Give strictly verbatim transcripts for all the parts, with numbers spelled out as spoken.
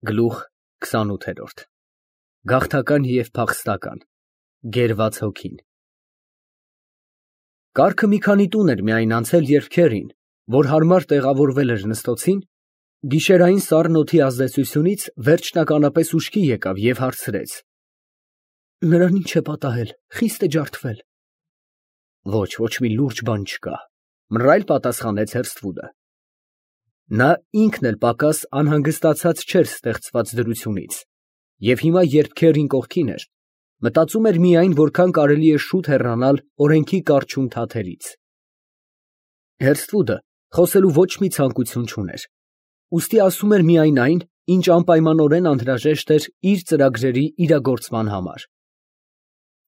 Գլուխ քսանութ։ Գաղթական և փախստական, գերված հոգին։ Կառքը մի քանի տուն էր միայն անցել, երբ Քերին, որ հարմար տեղավորվել էր Մըստոցին, գիշերային սառն օդի ազդեցությունից վերջնականապես ուշքի եկավ և հարցրեց. Նրան ի՞նչ է պատահել, խիստ է ջարդվել։ Ոչ, ոչ մի լուրջ բան չկա, մռայլ պատասխանեց Հերսթվուդը։ Նա ինքն էլ պակաս անհանգստացած չէր ստեղծված դրությունից, և հիմա, երբ Քերին կողքին էր, մտածում էր միայն, որքան կարելի է շուտ հեռանալ օրենքի կառչուն թաթերից։ Հերսթվուդը խոսելու ոչ մի ցանկություն չուներ, ուստի ասում էր միայն այն, ինչ անպայմանորեն անհրաժեշտ էր իր ծրագրերի իրագործման համար։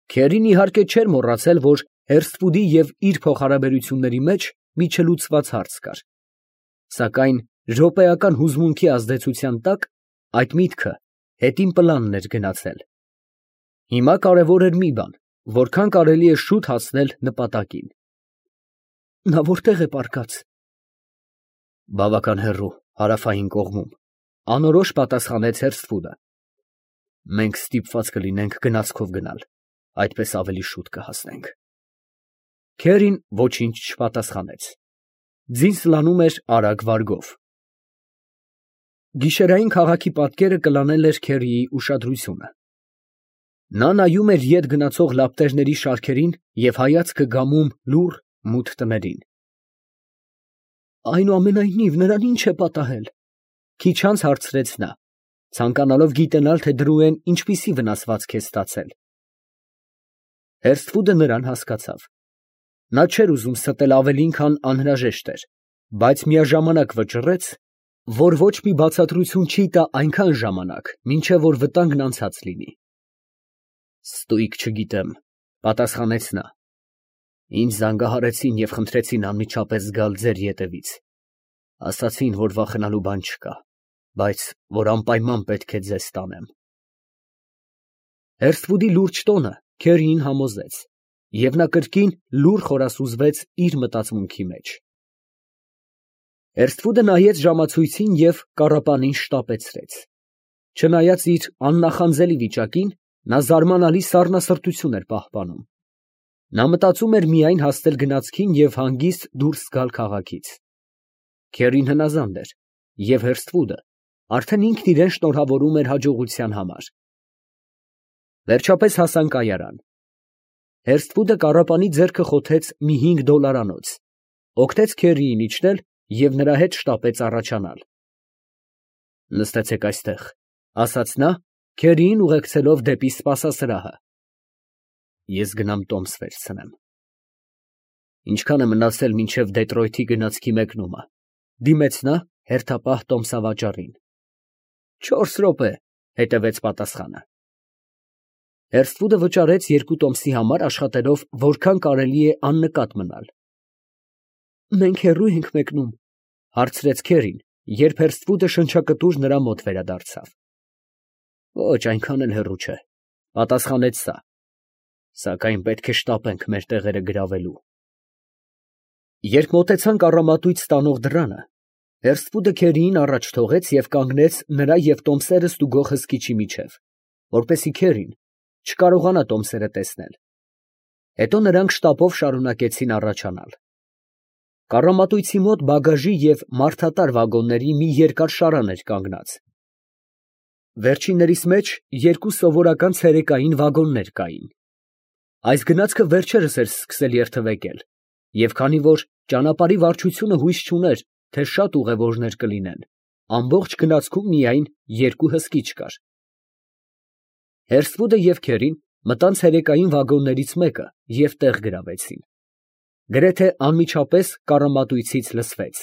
Քերին իհարկե չէր մոռացել, որ Հերսթվուդի և իր փոխհարաբերությունների մեջ մի չլուծված հարց կար, սակայն րոպեական հուզմունքի ազդեցության տակ այդ միտքը հետին պլանն էր գնացել։ Հիմա կարևոր էր մի բան, որքան կարելի է շուտ հասնել նպատակին։ Նա որտե՞ղ է պառկած։ Բավական հեռու, հարավային կողմում, անորոշ պատասխանեց Հերսթվուդը։ Մենք ստիպված կլինենք գնացքով գնալ, այդպես ավելի շուտ կհասնենք։ Քերին ոչինչ չպատասխանեց։ Ձին սլանում էր արագ վարգով։ Գիշերային քաղաքի պատկերը կլանել էր Քերիի ուշադրությունը։ Նա նայում էր ետ գնացող լապտերների շարքերին և հայացքը գամում լուռ, մութ տներին։ Այնուամենայնիվ, նրան ի՞նչ է պատահել, քիչ անց հարցրեց նա, ցանկանալով գիտենալ, թե դրույեն ինչպիսի վնասվածք է ստացել։ Հերսթվուդը նրան հասկացավ։ Նա չէր ուզում ստել ավելին, քան անհրաժեշտ էր, բայց միաժամանակ վճռեց, որ ոչ մի բացատրություն չի տա այնքան ժամանակ, մինչև որ վտանգն անցած լինի։ Ստույգ չգիտեմ, պատասխանեց նա։ Ինձ զանգահարեցին և խնդրեցին անմիջապես գալ ձեր ետևից։ Ասացին, որ վախենալու բան չկա, բայց որ անպայման պետք է ձեզ տանեմ։ Հերսթվուդի լուրջ տոնը Քերիին համոզեց, և նա կրկին լուռ խորասուզվեց իր մտածմունքի մեջ։ Հերսթվուդը նայեց ժամացույցին և կառապանին շտապեցրեց։ Չնայած իր աննախանձելի վիճակին, նա զարմանալի սառնասրտություն էր պահպանում։ Նա մտածում էր միայն հասնել գնացքին և հանգիստ դուրս գալ քաղաքից։ Քերին հնազանդ էր, և Հերսթվուդը արդեն ինքն իրան շնորհավորում էր հաջողության համար։ Վերջապես հասան կայարան։ Հերսթվուդը կառապանի ձեռքը խոթեց մի հինգ դոլարանոց, օգնեց Քերիին իջնել և նրա հետ շտապեց առաջանալ։ Նստեցեք այստեղ, ասաց նա, Քերիին ուղեկցելով դեպի սպասասրահը։ Ես գնամ տոմս վերցնեմ։ Ինչքան է մնացել մինչև Դետրոյթի գնացքի մեկնումը, դիմեց նա հերթապահ տոմսավաճառին։ Չորս րոպե, հետևեց պատասխանը։ Հերսթվուդը վճարեց երկու տոմսի համար, աշխատելով որքան կարելի է աննկատ մնալ։ Մենք հեռո՞ւ ենք մեկնում, հարցրեց Քերին, երբ Հերսթվուդը շնչակտուր նրա մոտ վերադարձավ։ Ոչ, այնքան էլ հեռու չէ, պատասխանեց նա, սակայն պետք է շտապենք մեր տեղերը գրավելու։ Երբ մոտեցան կառամատույց տանող դռանը, Հերսթվուդը Քերիին առաջ թողեց և կանգնեց նրա և տոմսերը ստուգող հսկիչի միջև, որպեսզի Քերին չկարողանա տոմսերը տեսնել։ Հետո նրանք շտապով շարունակեցին առաջանալ։ Կառամատույցի մոտ բագաժի և մարդատար վագոնների մի երկար շարան էր կանգնած։ Վերջիններիս մեջ երկու սովորական ցերեկային վագոններ կային։ Այս գնացքը վերջերս էր սկսել երթևեկել, և քանի որ ճանապարհի վարչությունը հույս չուներ, թե շատ ուղևորներ կլինեն, ամբողջ գնացքում միայն երկու հսկիչ կար։ Հերսթվուդը և Քերին մտան ցերեկային վագոններից մեկը և տեղ գրավեցին։ Գրեթե անմիջապես կառամատույցից լսվեց.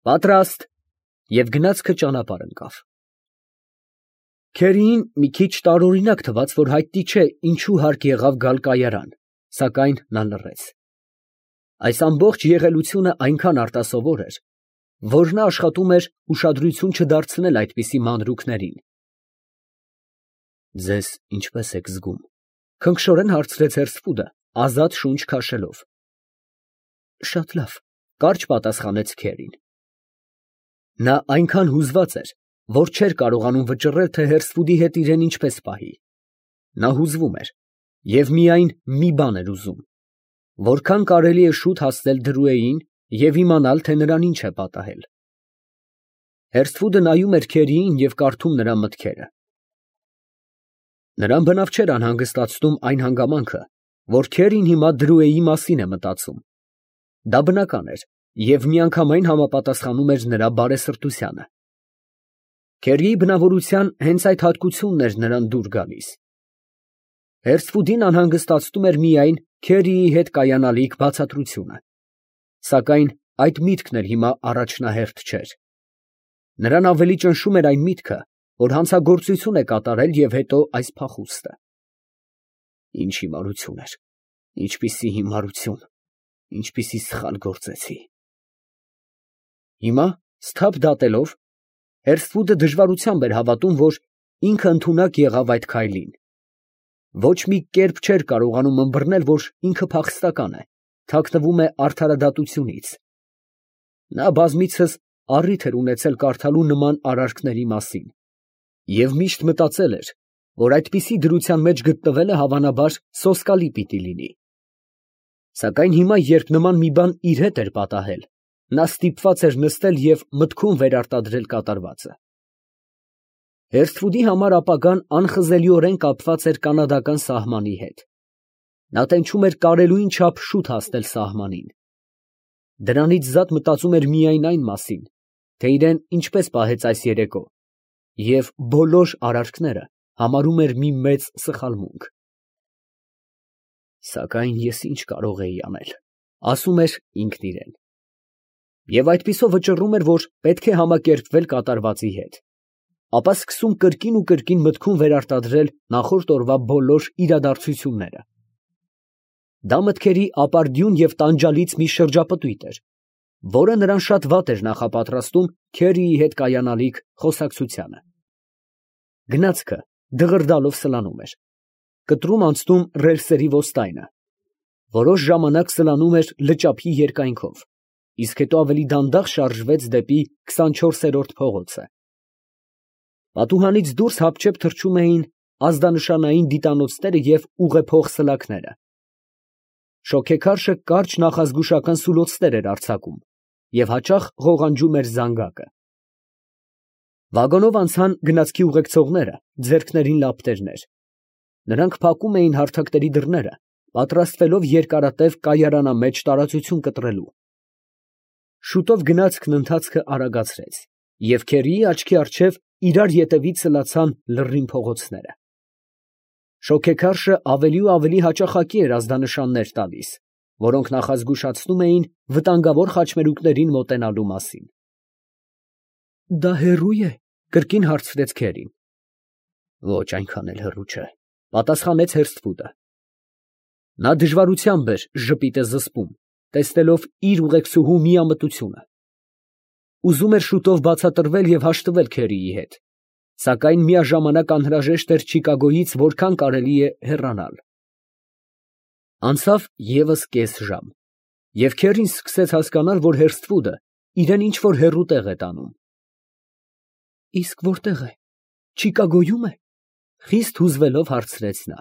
«Պատրաստ», և գնացքը ճանապարհ ընկավ։ Քերիին մի քիչ տարօրինակ թվաց, որ հայտնի չէ ինչու հարկ եղավ գալ կայարան, սակայն նա լռեց։ Այս ամբողջ եղելությունը այնքան արտասովոր էր, որ նա աշխատում էր ուշադրություն չդարձնել այդպիսի մանրուքներին։ Ձեզ ինչպե՞ս եք զգում, քնքշորեն հարցրեց Հերսթվուդը, ազատ շունչ քաշելով։ Շատ լավ, կարճ պատասխանեց Քերին։ Նա այնքան հուզված էր, որ չէր կարողանում վճռել, թե Հերսֆուդի հետ իրեն ինչպես պահի. նա հուզվում էր և միայն մի բան էր ուզում, որքան կարելի է շուտ հասնել Դրուեին և իմանալ, թե նրան ինչ է պատահել։ Հերսֆուդը նայում էր քերիին և կարդում նրա մտքերը։ Նրան բնավ չէր անհանգստացնում այն հանգամանքը, որ քերին հիմա Դրուեի մասին է մտածում։ Դա բնական էր և միանգամայն համապատասխանում էր նրա բարեսրտությանը։ Քերիի բնավորության հենց այդ հատկությունն էր նրան դուր գալիս։ Հերսֆուդին անհանգստացնում էր միայն քերիի հետ կայանալիք բացատրությունը, սակայն այդ միտքն էլ հիմա առաջնահերթ չէր։ Նրան ավելի ճնշում էր այն միտքը, որ հանցագործություն է կատարել և հետո այս փախուստը։ Ինչ հիմարություն էր, ինչպիսի հիմարություն, ինչպիսի սխալ գործեցի։ Հիմա, սթափ դատելով, Հերսֆուդը դժվարությամբ էր հավատում, որ ինքը ընդունակ եղավ այդ քայլին։ Ոչ մի կերպ չէր կարողանում ըմբռնել, որ ինքը փախստական է, թաքնվում է արդարադատությունից։ Նա բազմիցս առիթ էր ունեցել կարդալու նման արարքների մասին և միշտ մտածել էր, որ այդպիսի դրության մեջ գտնվելը հավանաբար սոսկալի պիտի լինի։ Սակայն հիմա, երբ նման մի բան իր հետ էր պատահել, նա ստիպված էր նստել և մտքում վերարտադրել կատարվածը։ Հերսֆուդի համար ապագան անխզելիորեն կապված էր կանադական սահմանի հետ։ Նա տենչում էր կարելույն չափ շուտ հասնել սահմանին։ Դրանից զատ մտածում էր միայն այն մասին, թե իրեն ինչպես պահեց այս երեկո, և բոլոր արարքները համարում էր մի մեծ սխալմունք։ Սակայն ես ինչ կարող էի անել, ասում էր ինքն իրան։ Եվ այդպիսով վճռում էր, որ պետք է համակերպվել կատարվածի հետ, ապա սկսում կրկին ու կրկին մտքում վերարտադրել նախորդ օրվա բոլոր իրադարձությունները։ Դա մտքերի ապարդյուն և տանջալից մի շրջապտույտ էր, որը նրան շատ վատ էր նախապատրաստում քերիի հետ կայանալիք խոսակցությանը։ Գնացքը դղրդալով սլանում էր, կտրում անցնում ռելսերի ոստայնը, որոշ ժամանակ սլանում էր լճափի երկայնքով, իսկ հետո ավելի դանդաղ շարժվեց դեպի քսանչորսերորդ փողոցը։ Պատուհանից դուրս հապճեպ թռչում էին ազդանշանային դիտանոցները և ուղեփող սլաքները։ Շոգեքարշը կարճ նախազգուշական սուլոցներ էր արձակում և հաճախ ղողանջում էր զանգակը։ Վագոնով անցան գնացքի ուղեկցողները, ձեռքներին լապտերներ։ Նրանք փակում էին հարթակների դռները, պատրաստվելով երկարատև կայարանամեջ տարածություն կտրելու։ Շուտով գնացքն ընթացքը արագացրեց, և քերիի աչքի առջև իրար ետևից սլացան լռին փողոցները։ Շոգեքարշը ավելի ու ավելի հաճախակի էր ազդանշաններ տալիս, որոնք նախազգուշացնում էին վտանգավոր խաչմերուկներին մոտենալու մասին։ ֊ Դա հեռո՞ւ է, ֊ կրկին հարցրեց քերին։ ֊ Ոչ, այնքան էլ հեռու չէ, ֊ պատասխանեց Հերսֆուդը։ Նա դժվարությամբ էր ժպիտը զսպում, տեսնելով իր ուղեկցուհու միամտությունը։ Ուզում էր շուտով բացատրվել և հաշտվել քերիի հետ, սակայն միաժամանակ անհրաժեշտ էր Չիկագոյից որքան կարելի է հեռանալ։ Անցավ ևս կես ժամ, և քերին սկսեց հասկանալ, որ Հերսֆուդը իրան ինչ֊որ հեռու տեղ է տանում։ ֊ Իսկ որտե՞ղ է, Չիկագոյո՞ւմ է, ֊ խիստ հուզվելով հարցրեց նա։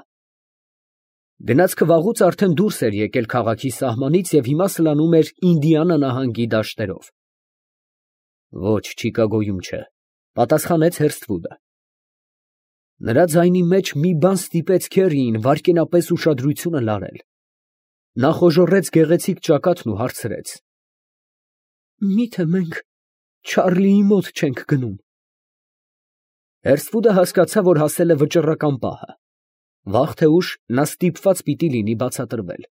Գնացքը վաղուց արդեն դուրս էր եկել քաղաքի սահմանից և հիմա սլանում էր Ինդիանա նահանգի դաշտերով։ ֊ Ոչ, Չիկագոյում չէ, ֊ պատասխանեց Հերսֆուդը։ Նրա ձայնի մեջ մի բան ստիպեց քերիին վայրկենապես ուշադրությունը լարել։ Նա խոժոռեց գեղեցիկ ճակատն ու հարցրեց. ֊ Մի՞թե մենք Չարլիի մոտ չենք գնում։ Հերսֆուդը հասկացավ, որ հասել է վճռական պահը։ Վաղ թե ուշ նա ստիպված պիտի լինի բացատրվել։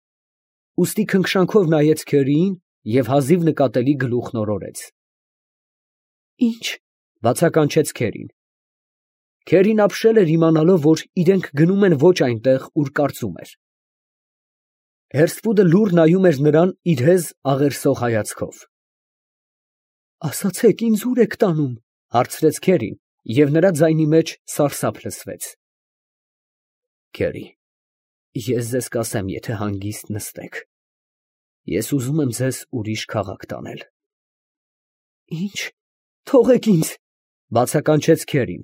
Ուստի քնքշանքով նայեց քերիին և հազիվ նկատելի գլուխն օրորեց։ ֊ Ի՞նչ, ֊ բացականչեց քերին։ Քերին ապշել էր իմանալով, որ իրենք գնում են ոչ այնտեղ, ուր կարծում էր։ Հերսֆուդը լուռ նայում էր նրան իր հեզ աղերսող հայացքով։ ֊ Ասացեք, ինձ ո՞ւր եք տանում, ֊ հարցրեց քերին, և նրա ձայնի մեջ սարսափ լսվեց։ ֊ Քերի, ես ձեզ կասեմ, եթե հանգիստ նստեք, ես ուզում եմ ձեզ ուրիշ քաղաք տանել։ ֊ Ի՞նչ, թողեք ինձ, Բացականչեց Քերին։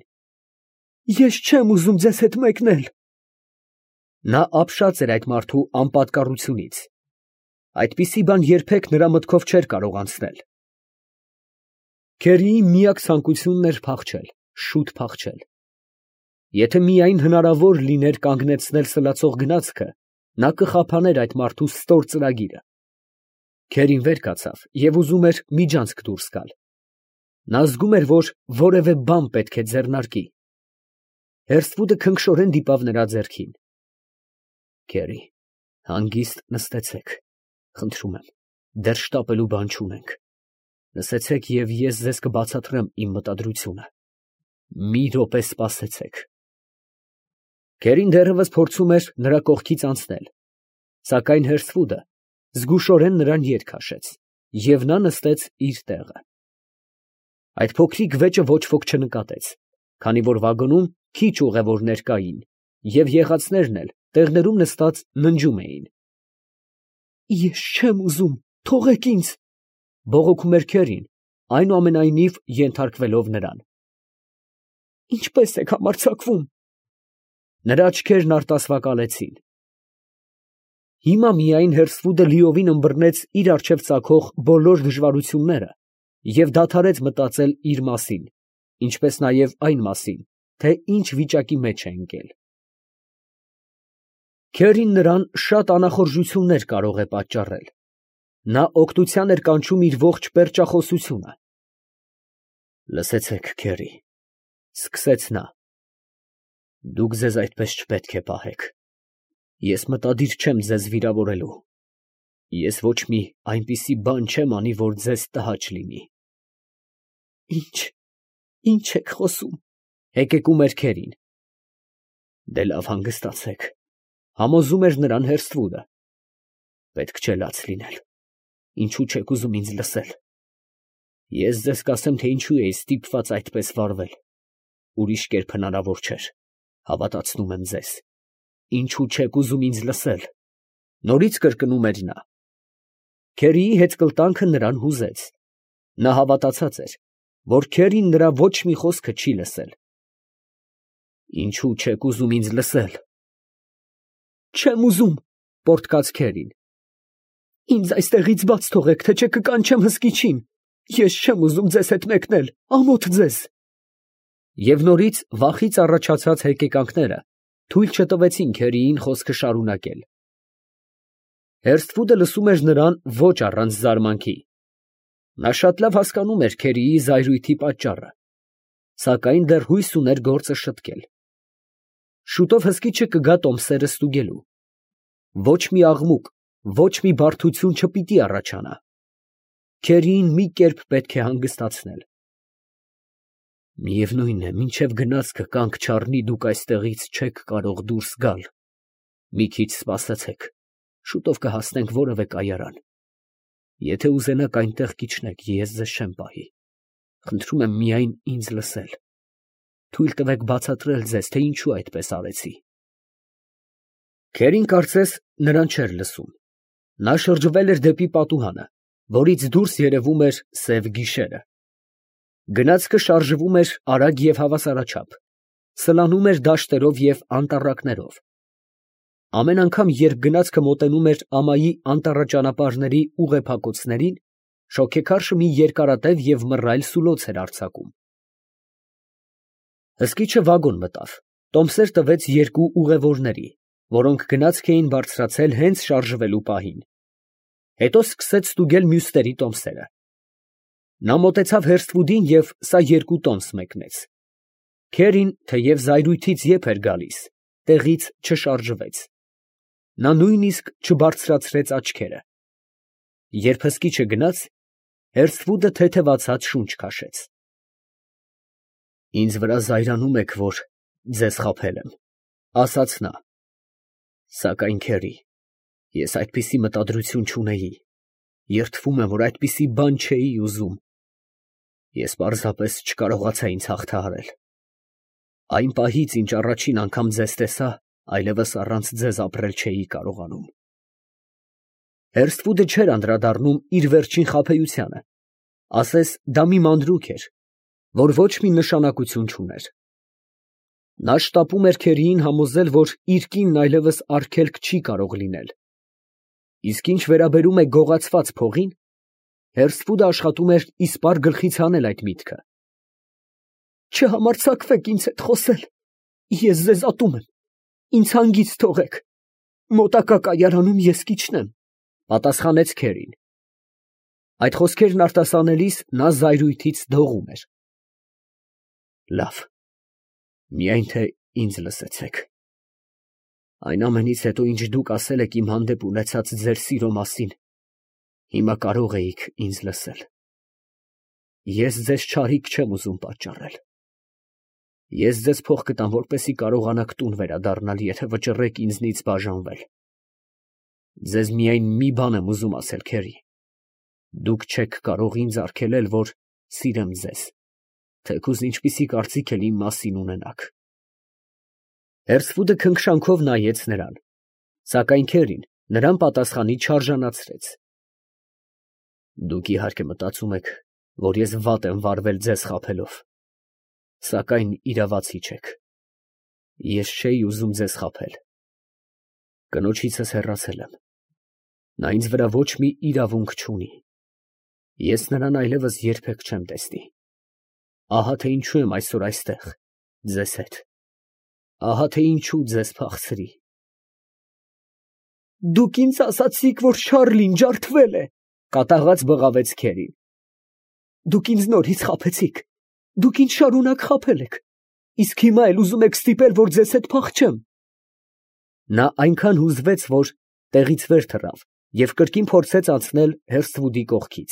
Ես չեմ ուզում ձեզ հետ մեկնել։ Նա ապշած էր այդ մարդու անպատկառությունից։ Այդպիսի բան երբեք նրա մտքով չէր կարող անցնել։ Քերիի միակ ցանկությունն էր փախչել, շուտ փախչել։ Եթե միայն հնարավոր լիներ կանգնեցնել սլացող գնացքը, նա կխափաներ այդ մարդու ստոր ծրագիրը։ Քերին վեր կացավ և ուզում էր միջանցք դուրս գալ։ Նա զգում էր, որ որևէ բան պետք է ձեռնարկի։ Հերսվուդը քնքշորեն դիպավ նրա ձեռքին։ Քերի, հանգիստ նստեցեք, խնդրում եմ, դեռ շտապելու բան չունենք։ Լսեցեք և ես ձեզ կբացատրեմ իմ մտադրությունը։ Մի րոպե սպասեցեք։ Քերին դեռևս փորձում էր նրա կողքից անցնել, սակայն Հերսվուդը զգուշորեն նրան ետ քաշեց, և նա նստեց իր տեղը։ Այդ փոքրիկ վեճը ոչ ոք չնկատեց, քանի որ վագոնում քիչ ուղևորներ կային, և եղածներն էլ տեղներում նստած ննջում էին։ Ես չեմ ուզում, թողեք ինձ, բողոքում էր Քերին, այնուամենայնիվ ենթարկվելով նրան։ Ինչպե՞ս եք համարձակվում։ Նրա աչքերն արտասվակալեցին։ Հիմա միայն Հերսվուդը լիովին ըմբռնեց իր առջև ծագող բոլոր դժվարությունները և դադարեց մտածել իր մասին, ինչպես նաև այն մասին, թե ինչ վիճակի մեջ է ընկել։ Քերին նրան շատ անախորժություններ կարող է պատճառել։ Նա օգնության էր կանչում իր ողջ պերճախոսությունը։ Լսեցեք, Քերի, սկսեց նա, դուք ձեզ այդպես չպետք է պահեք։ Ես մտադիր չեմ ձեզ վիրավորելու։ Ես ոչ մի այնպիսի բան չեմ անի, որ ձեզ տհաճ լինի։ Ինչ, ինչ եք խոսում, հեկեկում էր Քերին։ Դե լավ, հանգստացեք, համոզում էր նրան Հերսվուդը։ Պետք չէ լաց լինել։ Ինչու չեք ուզում ինձ լսել։ Ես ձեզ կասեմ, թե ինչու էի ստիպված այդպես վարվել։ Ուրիշ կերպ հնարավոր չէր, հավատացնում եմ ձեզ։ Ինչու չեք ուզում ինձ լսել։ Նորից կրկնում էր նա։ Քերիի հետկլտանքը նրան հուզեց։ Նա հավատացած էր, որ Քերին նրա ոչ մի խոսքը չի լսել։ Ինչու չեք ուզում ինձ լսել։ Չեմ ուզում, պոռթկաց Քերին։ Ինձ այստեղից բաց թողեք, թե չէ կկանչեմ հսկիչին։ Ես չեմ ուզում ձեզ հետ մեկնել, ամոթ ձեզ։ Եվ նորից վախից առաջացած հեկեկանքները թույլ չտվեցին Քերիին խոսքը շարունակել։ Հերսվուդը լսում էր նրան ոչ առանց զարմանքի։ Նա շատ լավ հասկանում էր Քերիի զայրույթի պատճառը, սակայն դեռ հույս ուներ գործը շտկել։ Շուտով հսկիչը կգա տոմսերը ստուգելու։ Ոչ մի աղմուկ, ոչ մի բարդություն չպիտի առաջանա։ Քերիին մի կերպ պետք է հանգստացնել։ Միևնույն է, մինչև գնացքը կանգ չառնի, դուք այստեղից չեք կարող դուրս գալ։ Մի քիչ սպասեցեք, շուտով կհասնենք որևէ կայարան։ Եթե ուզենաք այնտեղ կիջնեք, ես ձեզ չեմ պահի։ Խնդրում եմ միայն ինձ լսել։ Թույլ տվեք բացատրել ձեզ, թե ինչու այդպես արեցի։ Քերին կարծես նրան չէր լսում։ Նա շրջվել էր դեպի պատուհանը, որից դուրս երևում էր սև գիշերը։ Գնացքը շարժվում էր արագ և հավասարաչափ, սլանում էր դաշտերով և անտառակներով։ Ամեն անգամ, երբ գնացքը մոտենում էր ամայի անտառաճանապարհների ուղեփակոցներին, շոգեքարշը մի երկարատև և մռայլ սուլոց էր արձակում։ Հսկիչը վագոն մտավ, տոմսեր տվեց երկու ուղևորների, որոնք գնացք էին բարձրացել հենց շարժվելու պահին։ Հետո սկսեց ստուգել մյուսների տոմսերը։ Նա մոտեցավ Հերսվուդին և սա երկու տոմս մեկնեց։ Քերին, թեև զայրույթից եփ էր գալիս, տեղից չշարժվեց։ Նա նույնիսկ չբարձրացրեց աչքերը։ Երբ հսկիչը գնաց, Հերսվուդը թեթևացած շունչ քաշեց։ Ինձ վրա զայրանում եք, որ ձեզ խաբել եմ, ասաց նա։ Սակայն, Քերի, ես այդպիսի մտադրություն չունեի, երդվում եմ, որ այդպիսի բան չէի ուզում։ Ես պարզապես չկարողացա ինձ հաղթահարել։ Այն պահից, ինչ առաջին անգամ ձեզ տեսա, այլևս առանց ձեզ ապրել չէի կարողանում։ Հերսվուդը չէր անդրադառնում իր վերջին խաբեությանը, ասես դա մի մանրուք էր, որ ոչ մի նշանակություն չուներ։ Նա շտապում էր քերիին համոզել, որ իր կինն այլևս արգելք չի կարող լինել, իսկ ինչ վերաբերում է գողացված փողին, Հերսֆուդը աշխատում էր իսպառ գլխից հանել այդ միտքը։ Չհամարձակվեք ինձ հետ խոսել, ես ձեզ ատում եմ, ինձ հանգիստ թողեք, մոտակա կայարանում ես կիջնեմ, պատասխանեց քերին։ Այդ խոսքերն արտասանելիս նա զայրույթից դողում էր։ Լավ, միայն թե ինձ լսեցեք։ Այն ամենից հետո, ինչ դուք ասել եք իմ հանդեպ ունեցած ձեր սիրո մասին, հիմա կարող էիք ինձ լսել։ Ես ձեզ չարիք չեմ ուզում պատճառել։ Ես ձեզ փող կտամ, որպեսզի կարողանաք տուն վերադառնալ, եթե վճռեք ինձնից բաժանվել։ Ձեզ միայն մի բան եմ ուզում ասել, քերի. դուք չեք կարող ինձ արգելել, որ սիրեմ ձեզ, թեկուզ ինչպիսի կարծիք էլ իմ մասին ունենաք։ Հերսֆուդը քնքշանքով նայեց նրան, սակայն քերին նրան պատասխանի չարժանացրեց։ Դուք իհարկե մտածում եք, որ ես վատ եմ վարվել ձեզ խաբելով, սակայն իրավացի չեք։ Ես չէի ուզում ձեզ խաբել։ Կնոջիցս հեռացել եմ։ Նա ինձ վրա ոչ մի իրավունք չունի։ Ես նրան այլևս երբեք չեմ տեսնի։ Ահա թե ինչու եմ այսօր այստեղ, ձեզ հետ։ Ահա թե ինչու ձեզ փախցրի։ Դուք ինձ ասացիք, որ Շառլին ջարդվել է, կատաղած բղավեց քերին։ Դուք ինձ նորից խաբեցիք, դուք ինձ շարունակ խաբել եք, իսկ հիմա էլ ուզում եք ստիպել, որ ձեզ հետ փախչեմ։ Նա այնքան հուզվեց, որ տեղից վեր թռավ և կրկին փորձեց անցնել Հերսֆուդի կողքից։